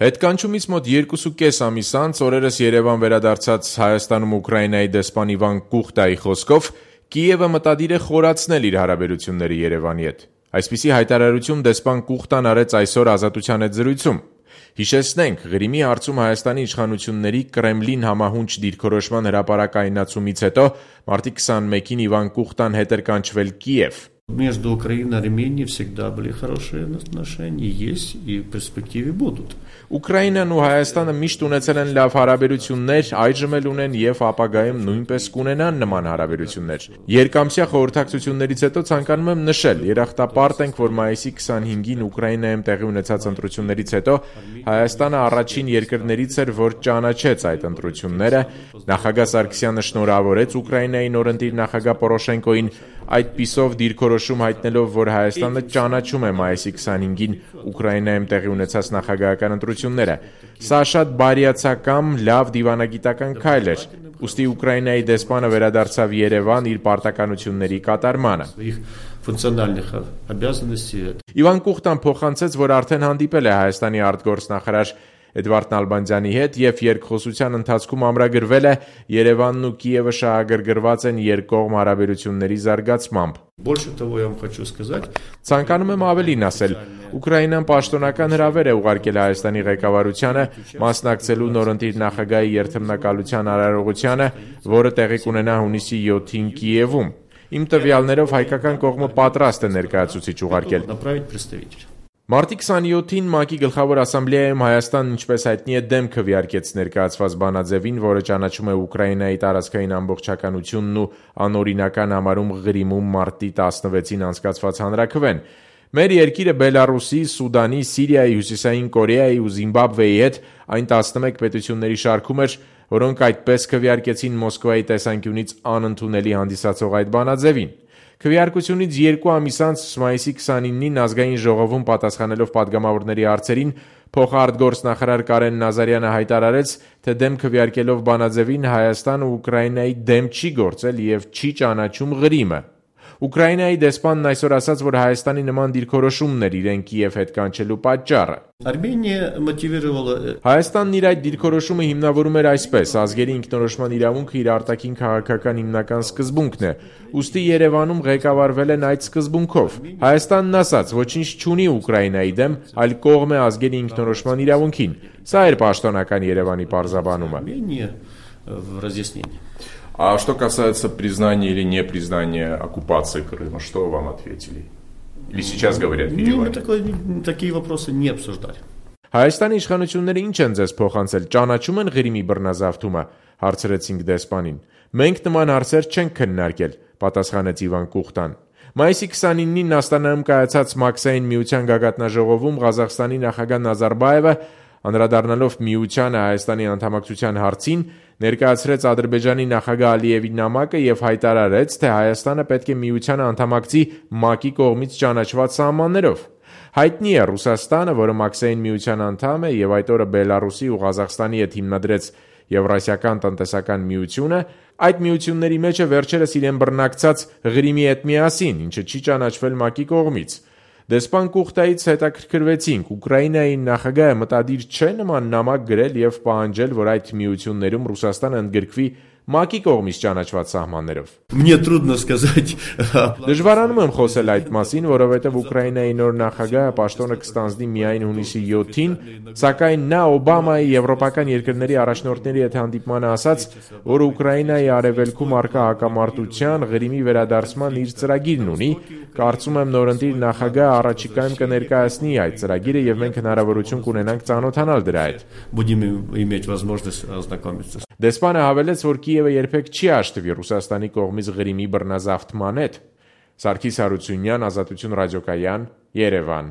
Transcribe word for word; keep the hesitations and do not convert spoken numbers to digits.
Հետկանչումից մոտ երկուսուկես ամիս անց օրերս Երևան վերադարձած Հայաստանում Ուկրաինայի դեսպան Իվան Կուխտայի խոսքով Կիևը մտադիր է խորացնել իր հարաբերությունները Երևանի հետ։ Այսպիսի հայտարարություն դեսպան Կուխտան արեց այսօր Ազատության հետ զրույցում։ Հիշեցնենք, Ղրիմի հարցում Հայաստանի իշխանությունների Կրեմլին համահունչ դիրքորոշման հրապարակայնացումից հետո մարտի քսանմեկին Իվան Կուխտան հետ էր կանչվել Կիև։ Между Украиной и Арменией всегда были хорошие отношения, есть и в перспективе будут. Ուկրաինան ու Հայաստանը միշտ ունեցել են լավ հարաբերություններ, այժմ էլ ունեն եւ ապագայում նույնպես կունենան նման հարաբերություններ։ Երկամսյա խորհրդակցություններից հետո ցանկանում եմ նշել, երախտապարտ ենք, որ մայիսի քսանհինգին Ուկրաինայում տեղի ունեցած ընտրություններից հետո Հայաստանը առաջին երկրներից էր, որ ճանաչեց այդ ընտրությունները։ Նախագահ Սարգսյանը շնորհավորեց Ուկրաինայի նորընտիր նախագահ Պորոշենկոին, այդպիսով դիրքորոշում հայտնելով, որ Հայաստանը ճանաչում է մայիսի քսանհինգին Ուկրաինայում տեղի ունեցած նախագահական ընտրությունները։ Սա շատ բարյացակամ, լավ դիվանագիտական քայլ էր։ Ուստի Ուկրաինայի դեսպանը վերադարձավ Երևան իր պարտականությունների կատարմանը։ Իվան Կուխտան փոխանցեց, որ արդեն հանդիպել է Հայաստանի արտգործնախարար Էդվարդ Նալբանդյանի հետ եւ երկխոսության ընթացքում ամրագրվել է Երևանն ու Կիևը շահագրգռված են երկկողմ հարաբերությունների զարգացմամբ։ Ցանկանում եմ ավելին ասել, Ուկրաինան պաշտոնական հրավեր է ուղարկել Հայաստանի ղեկավարությանը մասնակցելու նորընտիր նախագահի երթմնակալության արարողությանը, որը տեղի կունենա հունիսի յոթին Կիևում։ Իմ տվյալներով հայկական կողմը պատրաստ է ներկայացուցիչ ուղարկել։ Մարտի քսանյոթին ՄԱԿ-ի գլխավոր ասամբլեայում Հայաստանն, ինչպես հայտնի է, դեմ քվեարկեց ներկայացված բանաձևին, որը ճանաչում է Ուկրաինայի տարածքային ամբողջականությունն ու անօրինական համարում Ղրիմում մարտի տասնվեցին անցկացված հանրաքվեն։ Մեր երկիրը Բելարուսի, Սուդանի, Սիրիայի, Հյուսիսային Կորեայի ու Զիմբաբվեի հետ այն տասնմեկ պետությունների շարքում էր, որոնք այդպես քվեարկեցին Մոսկվայի տեսանկյունից անընդունելի հանդիսացող այդ բանաձևին։ Քվեարկությունից երկու ամիս անց մայիսի քսանինին ազգային ժողովում պատասխանելով падգամավորների հարցերին փոխարտգործնախարար Կարեն Նազարյանը հայտարարեց, թե դեմ քվեարկելով բանաձևին Հայաստանը Ուկրաինայի դեմ չի գործել եւ չի ճանաչում Ղրիմը։ Ուկրաինայի դեսպանն այսօր ասաց, որ Հայաստանի նման դիրքորոշումն էր իրեն Կիև հետ կանչելու պատճառը։ Հայաստանն իր այդ դիրքորոշումը հիմնավորում էր այսպես. ազգերի ինքնորոշման իրավունքը իր արտաքին քաղաքական հիմնական սկզբունքն է, ուստի Երևանում ղեկավարվել են այդ սկզբունքով։ Հայաստանն ասաց, ոչինչ չունի Ուկրաինայի դեմ, այլ կողմ է ազգերի ինքնորոշման իրավունքին։ Սա էր պաշտոնական Երևանի պարզաբանումը։ А что касается признания или непризнания оккупации Крыма, что вам ответили? Или сейчас говорят в Ереване? Такие вопросы не обсуждали. Հայաստանի իշխանությունները ինչ են ձեզ փոխանցել, ճանաչում են Ղրիմի բռնազավթումը, հարցրեցինք դեսպանին։ Մենք նման հարցեր չենք քննարկել, պատասխանեց Իվան Կուխտան։ Մայիսի քսանինին Աստանայում կայացած Մաքսային միության գագաթնաժողովում Ղազախստանի նախագահ Նազարբաևը անդրադառնալով միությանը Հայաստանի անդամակցության հարցին ներկայացրեց Ադրբեջանի նախագահ Ալիևի նամակը եւ հայտարարեց, թե Հայաստանը պետք է միությանը անդամակցի ՄԱԿ-ի կողմից ճանաչված սահմաններով։ Հայտնի է Ռուսաստանը, որը Մաքսային միության անդամ է եւ այդ օրը Բելարուսի ու Ղազախստանի հետ հիմնադրեց Եվրասիական տնտեսական միությունը, այդ միությունների մեջ է վերջերս իրեն բռնակցած Ղրիմի հետ միասին, ինչը չի ճանաչվել ՄԱԿ-ի կողմից։ Դեսպան Կուխտայից հետաքրքրվեցինք, Ուկրաինայի նախագահը մտադիր չէ նման նամակ գրել եւ պահանջել, որ այդ միություններում Ռուսաստանը ընդգրկվի ՄԱԿ-ի կողմից ճանաչված սահմաններով։ Мне трудно сказать. Դժվարանում եմ խոսել այդ մասին, որովհետեւ Ուկրաինայի նոր նախագահը պաշտոնը կստանձնի միայն հունիսի յոթին, սակայն նա Օբամայի եվրոպական երկրների առաջնորդների հետ հանդիպմանը ասաց, որ Ուկրաինայի արևելքում առկա հակամարտության Ղրիմի վերադարձման իր ծրագիրն ունի։ Կարծում եմ նորընտիր նախագահը առաջիկայում կներկայացնի այդ ծրագիրը եւ մենք հնարավորություն կունենանք ծանոթանալ դրա հետ։ Будем иметь возможность ознакомиться. Դեսպանը հավելեց, որ Կիևը երբեք չի հաշտվի Ռուսաստանի կողմից Ղրիմի բռնազավթման հետ։ Սարգիս Հարությունյան, Ազատություն ռադիոկայան, Երևան։